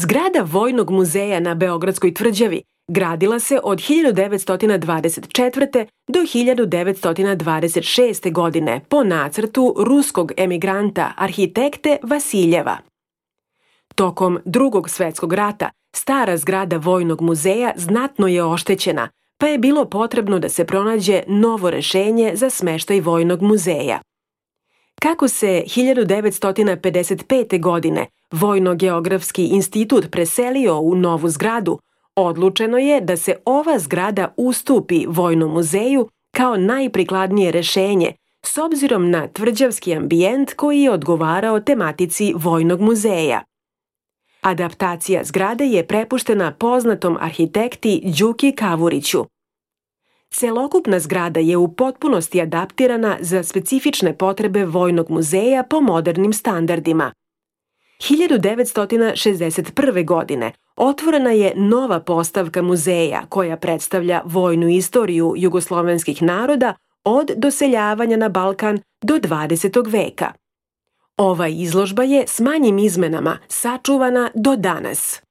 Zgrada Vojnog muzeja na Beogradskoj tvrđavi gradila se od 1924. do 1926. godine po nacrtu ruskog emigranta arhitekte Vasiljeva. Tokom Drugog svetskog rata stara zgrada Vojnog muzeja znatno je oštećena, pa je bilo potrebno da se pronađe novo rešenje za smeštaj Vojnog muzeja. Kako se 1955. godine Vojno-geografski institut preselio u novu zgradu, odlučeno je da se ova zgrada ustupi Vojnom muzeju kao najprikladnije rešenje, s obzirom na tvrđavski ambijent koji je odgovarao tematici Vojnog muzeja. Adaptacija zgrade je prepuštena poznatom arhitekti Đuki Kavuriću. Celokupna zgrada je u potpunosti adaptirana za specifične potrebe Vojnog muzeja po modernim standardima. 1961. godine otvorena je nova postavka muzeja koja predstavlja vojnu istoriju jugoslovenskih naroda od doseljavanja na Balkan do 20. veka. Ova izložba je s manjim izmenama sačuvana do danas.